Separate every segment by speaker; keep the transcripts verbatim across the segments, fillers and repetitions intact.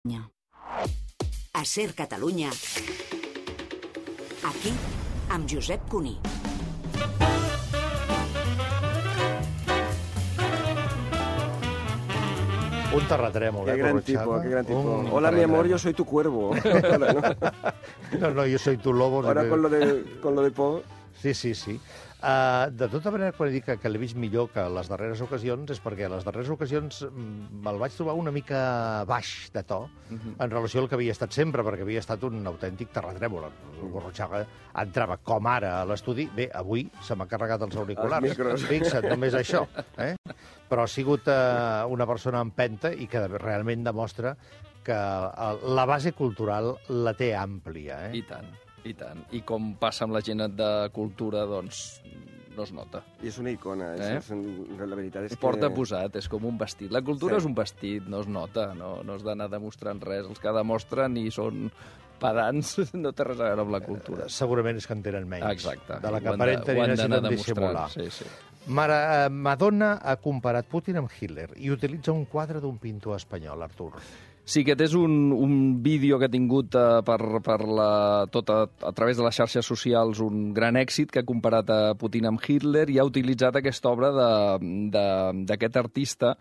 Speaker 1: A Ser Catalunya, aquí, amb Josep Cuní.
Speaker 2: Un terratrèmol,
Speaker 3: qué
Speaker 2: eh,
Speaker 3: gran
Speaker 2: Corrochano?
Speaker 3: tipo, qué gran tipo.
Speaker 2: Un
Speaker 3: Hola, mi amor,
Speaker 2: terratrèmol.
Speaker 3: yo soy tu cuervo. Ahora, ¿no?
Speaker 2: No, no, yo soy tu lobo.
Speaker 3: Ahora con lo de, con lo de Po.
Speaker 2: Sí, sí, sí. Uh, de tota manera, quan he dit que, que l'he vist millor que les darreres ocasions, és perquè a les darreres ocasions mm, me'l vaig trobar una mica baix de to uh-huh. en relació al que havia estat sempre, perquè havia estat un autèntic terratrèmol. El Gorrochaga entrava com ara a l'estudi. Bé, avui se m'ha carregat els auriculars.
Speaker 3: Els
Speaker 2: Fixa't, només això. Eh? Però ha sigut uh, una persona empenta i que realment demostra que uh, la base cultural la té àmplia. Eh?
Speaker 4: I tant. I tant. I com passa amb la gent de cultura, doncs no es nota.
Speaker 3: I és una icona, eh? és, la veritat és
Speaker 4: que... Porta
Speaker 3: que...
Speaker 4: posat, és com un vestit. La cultura
Speaker 3: sí.
Speaker 4: és un vestit, no es nota, no, no has d'anar demostrant res. Els que demostren i són pedants no té res a veure amb la cultura.
Speaker 2: Eh, segurament és que en tenen menys.
Speaker 4: Exacte.
Speaker 2: De la que aparenten i necessiten dissimular.
Speaker 4: Sí, sí.
Speaker 2: Mara, Madonna ha comparat Putin amb Hitler i utilitza un quadre d'un pintor espanyol, Artur.
Speaker 4: Sí, aquest és un, un vídeo que ha tingut uh, per, per la, tot a, a través de les xarxes socials un gran èxit, que ha comparat a Putin amb Hitler i ha utilitzat aquesta obra d'aquest artista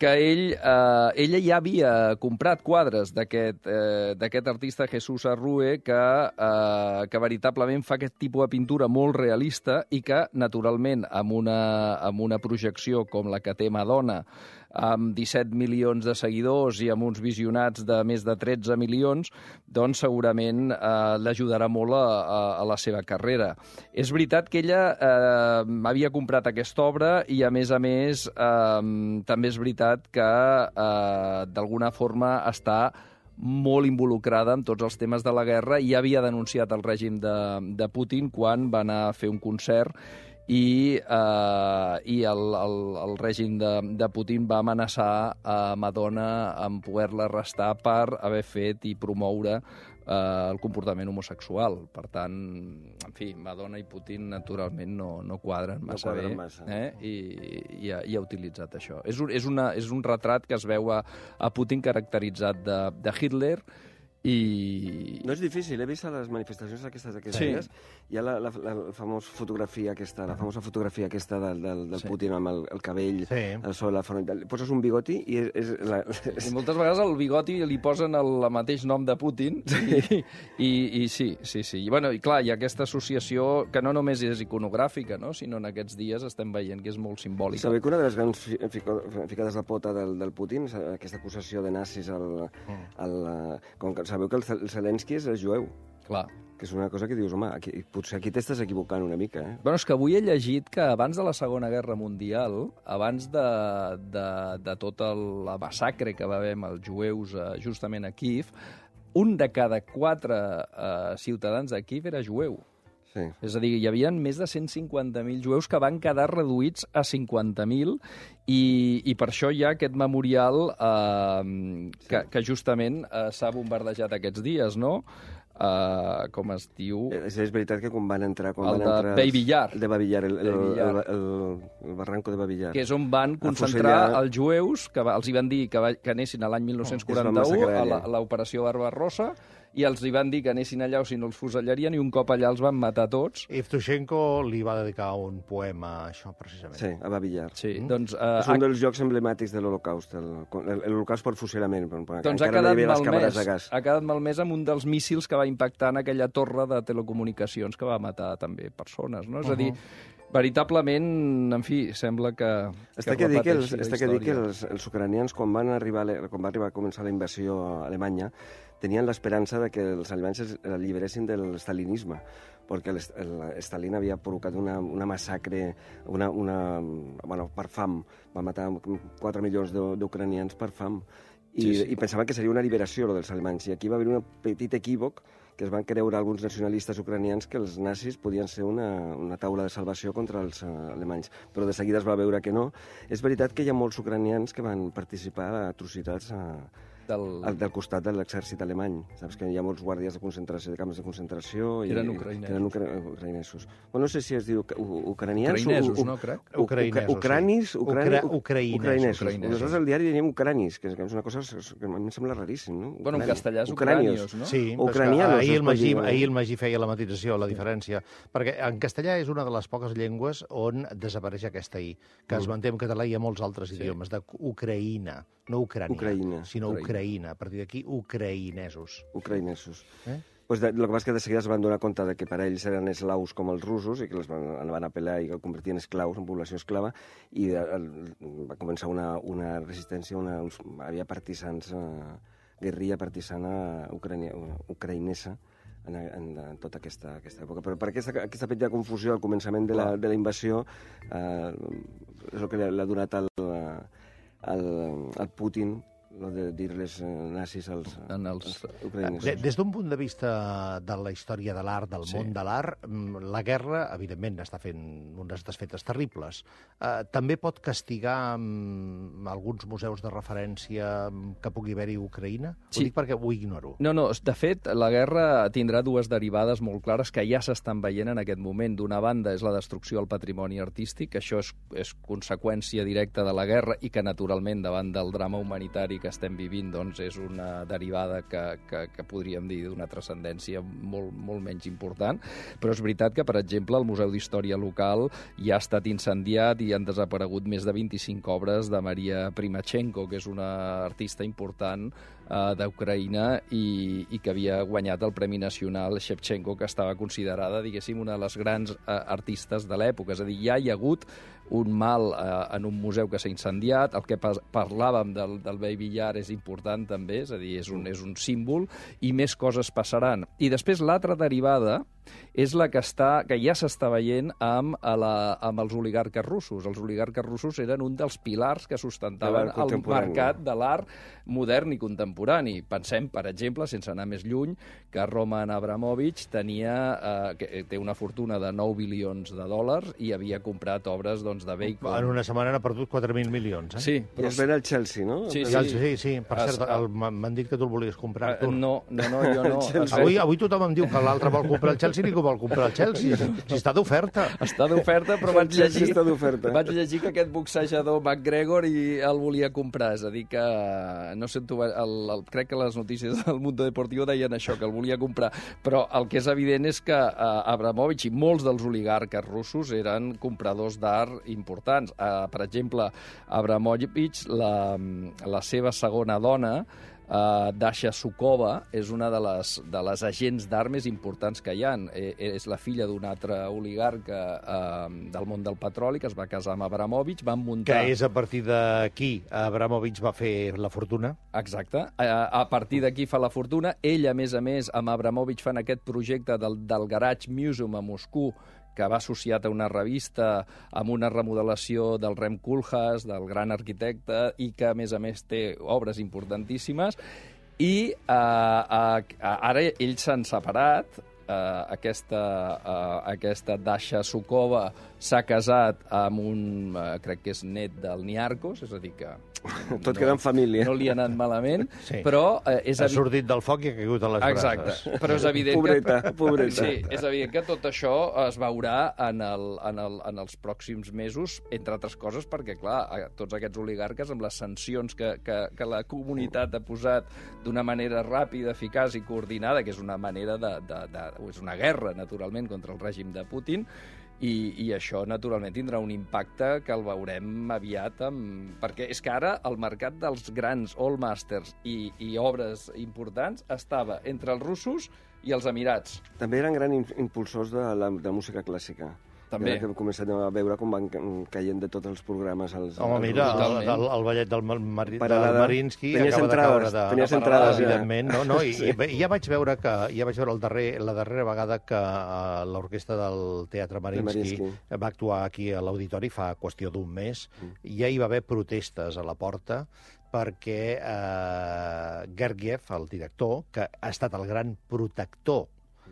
Speaker 4: que ell, eh, ella ja havia comprat quadres d'aquest eh, artista, Jesús Arrue, que, eh, que veritablement fa aquest tipus de pintura molt realista i que, naturalment, amb una, amb una projecció com la que té Madonna, amb disset milions de seguidors i amb uns visionats de més de tretze milions, doncs segurament eh, l'ajudarà molt a, a, a la seva carrera. És veritat que ella eh, havia comprat aquesta obra i, a més a més, eh, també és veritat que eh, d'alguna forma està molt involucrada en tots els temes de la guerra i havia denunciat el règim de, de Putin quan va anar a fer un concert i, eh, i el, el, el règim de, de Putin va amenaçar a Madonna amb poder-la arrestar per haver fet i promoure eh, el comportament homosexual. Per tant, en fi, Madonna i Putin naturalment no, no quadren massa
Speaker 3: no quadren
Speaker 4: bé
Speaker 3: massa.
Speaker 4: Eh? I, i, ha, i ha utilitzat això. És un, és, una, és un retrat que es veu a, a Putin caracteritzat de, de Hitler. I...
Speaker 3: No és difícil, he vist a les manifestacions aquestes d'aquests
Speaker 4: sí.
Speaker 3: dies, hi ha la, la, la, la famosa fotografia aquesta, la famosa fotografia aquesta del, del, del sí. Putin amb el, el cabell,
Speaker 2: sí.
Speaker 3: el sol, la front, poses un bigoti i és... és, la, és...
Speaker 4: I moltes vegades al bigoti li posen el, el mateix nom de Putin i, i, i sí, sí, sí. I, bueno, i clar, hi ha aquesta associació que no només és iconogràfica, no? Sinó en aquests dies estem veient que és molt simbòlica.
Speaker 3: Sabeu que una de les grans fi, fico, ficades de pota del, del Putin, aquesta acusació de nazis al... al com que sabeu que el, el Zelensky és el jueu.
Speaker 4: Clar.
Speaker 3: Que és una cosa que dius, home, aquí, potser aquí t'estàs equivocant una mica, eh?
Speaker 4: Bueno, és que avui he llegit que abans de la Segona Guerra Mundial, abans de, de, de tota la massacre que va haver amb els jueus eh, justament a Kíev, un de cada quatre eh, ciutadans de Kíev era jueu.
Speaker 3: Sí.
Speaker 4: És a dir, hi havia més de cent cinquanta mil jueus que van quedar reduïts a cinquanta mil i, i per això hi ha aquest memorial eh, que, que justament eh, s'ha bombardejat aquests dies, no? Uh, com es diu...
Speaker 3: És, és veritat que quan van entrar... Quan
Speaker 4: el
Speaker 3: van
Speaker 4: de
Speaker 3: entrar
Speaker 4: Baby-Yar.
Speaker 3: El de Baby-Yar, el, el,
Speaker 4: Baby-Yar.
Speaker 3: el, el, el barranco de Baby-Yar.
Speaker 4: Que és on van concentrar fusellar... els jueus, que va, els hi van dir que, va, que anessin a l'any mil nou-cents quaranta-u oh, a l'operació Barbarossa, i els hi van dir que anessin allà o si no els fusellarien, i un cop allà els van matar tots.
Speaker 2: Evtushenko li va dedicar un poema a això, precisament.
Speaker 3: Sí, a Babi-Yar.
Speaker 4: Sí, mm. doncs, uh,
Speaker 3: és un dels jocs emblemàtics de l'Holocaust, l'Holocaust per fusilament.
Speaker 4: Doncs ha quedat, malmès, ha quedat malmès amb un dels míssils que va impactar en aquella torre de telecomunicacions que va matar també persones, no? És uh -huh. a dir, veritablement, en fi, sembla que...
Speaker 3: Està que, que dir que, els, està que, dir que els, els ucranians, quan van arribar, quan va arribar a començar la invasió a Alemanya, tenien l'esperança de que els alemanys es alliberessin del stalinisme, perquè Stalin havia provocat una, una massacre una, una, bueno, per fam. Va matar quatre milions d'ucranians per fam. I, sí, sí. I pensaven que seria una liberació, lo dels alemanys. I aquí va haver un petit equívoc que es van creure alguns nacionalistes ucranians que els nazis podien ser una, una taula de salvació contra els uh, alemanys. Però de seguida es va veure que no. És veritat que hi ha molts ucranians que van participar a atrocitats a,
Speaker 4: Del...
Speaker 3: El del costat de l'exèrcit alemany. Saps que hi ha molts guàrdies de concentració, de camps de concentració... I,
Speaker 4: eren ucraïnesos.
Speaker 3: Eren ucra ucraïnesos. Bueno, no sé si es diu ucranians...
Speaker 4: Ucraïnesos, no, crec?
Speaker 2: Ucraïnesos,
Speaker 3: ucranis,
Speaker 2: sí.
Speaker 3: ucrani,
Speaker 2: Ucraïnesos.
Speaker 3: Nosaltres al diari diem ucranis, que és una cosa que a mi em sembla raríssim, no?
Speaker 4: Bueno, en castellà és ucranios, no?
Speaker 2: Sí,
Speaker 3: ucranianos,
Speaker 2: ahir el, Magí,
Speaker 3: dir...
Speaker 2: ahir el Magí feia la matisació, la diferència, perquè en castellà és una de les poques llengües on desapareix aquesta i, que es manté en català i a molts altres sí. idiomes, d'Ucraïna, no Ucrània, Ucraïna. sinó Ucraïna. Ucraïna. A partir d'aquí, ucraïnesos.
Speaker 3: Ucraïnesos.
Speaker 2: Eh?
Speaker 3: Pues de, lo que passa és que de seguida es van donar compte de que per a ells eren eslaus com els russos i que els van, van apel·lar i que el convertien en esclaus, en població esclava, i de, el, va començar una, una resistència, una, uns, havia partisans, eh, guerrilla partisana ucrania, ucraïnesa, en, en, en tota aquesta, aquesta època. Però per aquesta, aquesta petita confusió al començament de la, de la invasió eh, és el que l'ha donat al, al, al Putin, lo de dir-les nazis als,
Speaker 4: en els...
Speaker 3: als ucraïnesos.
Speaker 2: De, des d'un punt de vista de la història de l'art, del sí. món de l'art, la guerra, evidentment, està fent unes desfetes terribles. Eh, també pot castigar um, alguns museus de referència que pugui haver-hi a Ucraïna? Sí. Ho dic perquè ho ignoro.
Speaker 4: No, no, de fet, la guerra tindrà dues derivades molt clares que ja s'estan veient en aquest moment. D'una banda és la destrucció del patrimoni artístic, això és, és conseqüència directa de la guerra i que, naturalment, davant del drama humanitari que estem vivint, doncs, és una derivada que, que, que podríem dir d'una transcendència molt, molt menys important, però és veritat que, per exemple, el Museu d'Història Local ja ha estat incendiat i han desaparegut més de vint-i-cinc obres de Maria Primachenko, que és una artista important uh, d'Ucraïna i, i que havia guanyat el Premi Nacional Shevchenko, que estava considerada, diguéssim, una de les grans uh, artistes de l'època. És a dir, ja hi ha hagut un mal eh, en un museu que s'ha incendiat, el que parlàvem del, del Baby Yar és important també, és a dir, és un, és un símbol, i més coses passaran. I després l'altra derivada és la que, està, que ja s'està veient amb, a la, amb els oligarques russos. Els oligarques russos eren un dels pilars que sustentaven el mercat de l'art modern i contemporani. Pensem, per exemple, sense anar més lluny, que Roman Abramovich tenia, eh, que té una fortuna de nou bilions de dòlars i havia comprat obres, doncs, de Bacon.
Speaker 2: En una setmana n'ha perdut quatre mil milions, eh?
Speaker 4: Sí.
Speaker 3: Però... I es ven al Chelsea, no?
Speaker 4: Sí,
Speaker 2: sí. Sí, sí. Per cert, m'han dit que tu el volies comprar.
Speaker 4: Uh, no, no, no, jo no.
Speaker 2: avui, avui tothom em diu que l'altre vol comprar el Chelsea i que vol comprar el Chelsea. Si està d'oferta.
Speaker 4: Està d'oferta, però vaig llegir,
Speaker 3: està d'oferta.
Speaker 4: vaig llegir que aquest boxejador McGregor i el volia comprar. És a dir, que no sé, tu, el, el, crec que les notícies del Mundo Deportivo deien això, que el volia comprar. Però el que és evident és que uh, Abramovich i molts dels oligarques russos eren compradors d'art importants. Uh, per exemple, Abramovich, la, la seva segona dona, Uh, Dasha Sukova, és una de les, de les agents d'art més importants que hi ha. E, és la filla d'un altre oligarca uh, del món del petroli que es va casar amb Abramovich, van muntar...
Speaker 2: Que és a partir d'aquí Abramovich va fer la fortuna.
Speaker 4: Exacte. A, a partir d'aquí fa la fortuna. Ell, a més a més, amb Abramovich fan aquest projecte del, del Garage Museum a Moscou, que va associat a una revista amb una remodelació del Rem Koolhaas, del gran arquitecte, i que, a més a més, té obres importantíssimes. I uh, uh, ara ells s'han separat. Uh, aquesta, uh, aquesta Dasha Sukova s'ha casat amb un, uh, crec que és net del Niarcos, és a dir que...
Speaker 3: Tot no, queda en família.
Speaker 4: No li ha anat malament,
Speaker 2: sí.
Speaker 4: però... Uh, és
Speaker 2: ha sortit del foc i ha caigut a les
Speaker 4: Exacte.
Speaker 2: brases.
Speaker 4: Exacte, però és evident
Speaker 3: pobreta,
Speaker 4: que...
Speaker 3: Pobreta,
Speaker 4: Sí, és evident que tot això es veurà en, el, en, el, en els pròxims mesos, entre altres coses, perquè, clar, tots aquests oligarques, amb les sancions que, que, que la comunitat ha posat d'una manera ràpida, eficaç i coordinada, que és una manera de... de, de és una guerra, naturalment, contra el règim de Putin, i, i això, naturalment, tindrà un impacte que el veurem aviat, amb... perquè és que ara el mercat dels grans All Masters i, i obres importants estava entre els russos i els Emirats.
Speaker 3: També eren grans impulsors de la de música clàssica.
Speaker 4: També.
Speaker 3: Que hem començat a veure com van caient de tots els programes. Els,
Speaker 2: Home,
Speaker 3: els
Speaker 2: mira, el, el, el ballet del, Mar del Marinsky acaba de caure de...
Speaker 3: Tenies entrades,
Speaker 2: evidentment, no? no? I, sí. i, ja vaig veure que ja vaig veure el darrer, la darrera vegada que uh, l'orquestra del Teatre Marinsky, Marinsky va actuar aquí a l'auditori fa qüestió d'un mes, mm. i ja hi va haver protestes a la porta perquè eh, Gergiev, el director, que ha estat el gran protector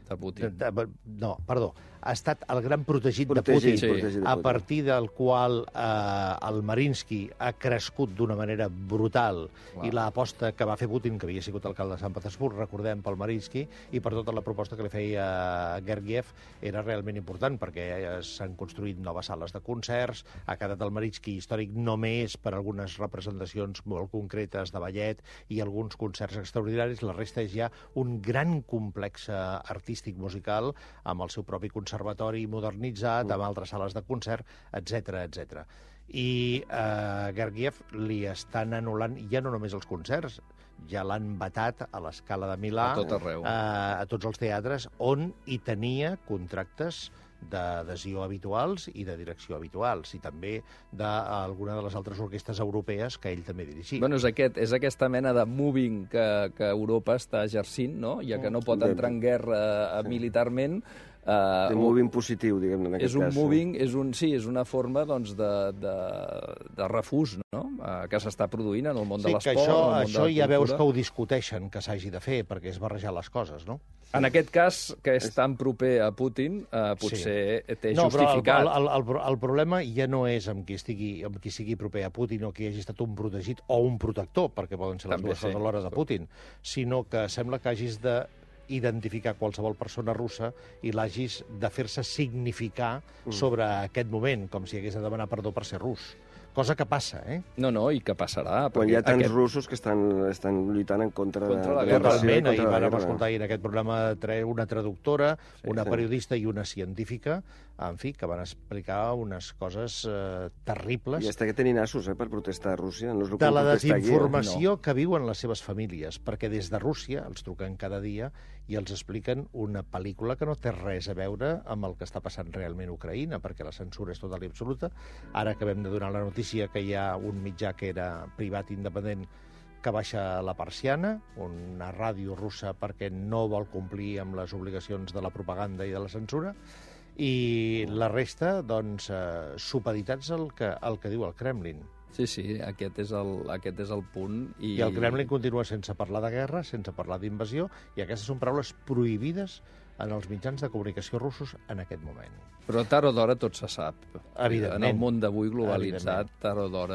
Speaker 4: de Putin.
Speaker 2: De, de, no, perdó. ha estat el gran protegit,
Speaker 3: Protegit,
Speaker 2: de Putin,
Speaker 3: protegit de
Speaker 2: a
Speaker 3: Putin.
Speaker 2: partir del qual eh, el Marinsky ha crescut d'una manera brutal.
Speaker 4: Clar.
Speaker 2: I l'aposta que va fer Putin, que havia sigut alcalde de Sant Petersburg, recordem, pel Marinsky, i per tota la proposta que li feia Gergiev, era realment important, perquè s'han construït noves sales de concerts, ha quedat el Marinsky històric només per algunes representacions molt concretes de ballet i alguns concerts extraordinaris. La resta és ja un gran complex artístic musical amb el seu propi conservatori modernitzat, amb altres sales de concert, etcètera, etcètera. I eh, Gergiev li estan anul·lant ja no només els concerts, ja l'han vetat a l'Escala de Milà,
Speaker 4: A tot arreu.
Speaker 2: eh, a tots els teatres, on hi tenia contractes d'adhesió habituals i de direcció habituals, i també d'alguna de les altres orquestres europees que ell també dirigia.
Speaker 4: Bueno, és, aquest, és aquesta mena de moving que, que Europa està exercint, no? Ja que no pot entrar en guerra eh, militarment,
Speaker 3: Uh, de moving positiu, diguem, en aquest
Speaker 4: és un
Speaker 3: cas.
Speaker 4: moving, és un, sí, és una forma doncs, de, de, de refús, no? Uh, que s'està produint en el món
Speaker 2: sí,
Speaker 4: de
Speaker 2: que
Speaker 4: l'esport,
Speaker 2: això,
Speaker 4: en el món
Speaker 2: això
Speaker 4: de la
Speaker 2: ja veus
Speaker 4: cultura.
Speaker 2: que ho discuteixen, que s'hagi de fer, perquè és barrejar les coses, no?
Speaker 4: En aquest cas, que és tan proper a Putin, uh, potser sí. té
Speaker 2: no,
Speaker 4: justificat.
Speaker 2: Però el, el, el, el problema ja no és amb qui, estigui, amb qui sigui proper a Putin o qui hagi estat un protegit o un protector, perquè poden ser les
Speaker 4: També
Speaker 2: dues coses
Speaker 4: sí.
Speaker 2: alhora de Putin, sinó que sembla que hagis de identificar qualsevol persona russa i l'hagis de fer-se significar mm. sobre aquest moment, com si hagués de demanar perdó per ser rus. Cosa que passa, eh?
Speaker 4: No, no, i que passarà.
Speaker 3: Quan hi ha tants
Speaker 4: aquest...
Speaker 3: russos que estan, estan lluitant en contra,
Speaker 4: Contra la
Speaker 3: de,
Speaker 4: guerra.
Speaker 2: Totalment, ahir
Speaker 3: contra la
Speaker 2: vam
Speaker 3: guerra.
Speaker 2: escoltar en aquest programa una traductora,
Speaker 3: Sí,
Speaker 2: una
Speaker 3: sí.
Speaker 2: periodista i una científica, en fi, que van explicar unes coses eh, terribles
Speaker 3: I està que tenint assos, eh, per protestar a Rússia. No és el
Speaker 2: de
Speaker 3: que
Speaker 2: la
Speaker 3: protestar aquí, eh?
Speaker 2: desinformació que viuen les seves famílies, perquè des de Rússia els truquen cada dia i els expliquen una pel·lícula que no té res a veure amb el que està passant realment a Ucraïna, perquè la censura és total i absoluta. Ara acabem de donar la notícia que hi ha un mitjà que era privat independent que baixa la persiana, una ràdio russa perquè no vol complir amb les obligacions de la propaganda i de la censura, i la resta, doncs, eh, supeditats al que, al que diu el Kremlin.
Speaker 4: Sí, sí, aquest és el, aquest és el punt. I...
Speaker 2: I el Kremlin continua sense parlar de guerra, sense parlar d'invasió, i aquestes són paraules prohibides en els mitjans de comunicació russos en aquest moment.
Speaker 4: Però tard o d'hora tot se sap.
Speaker 2: Evidentment.
Speaker 4: En el món d'avui globalitzat, tard o d'hora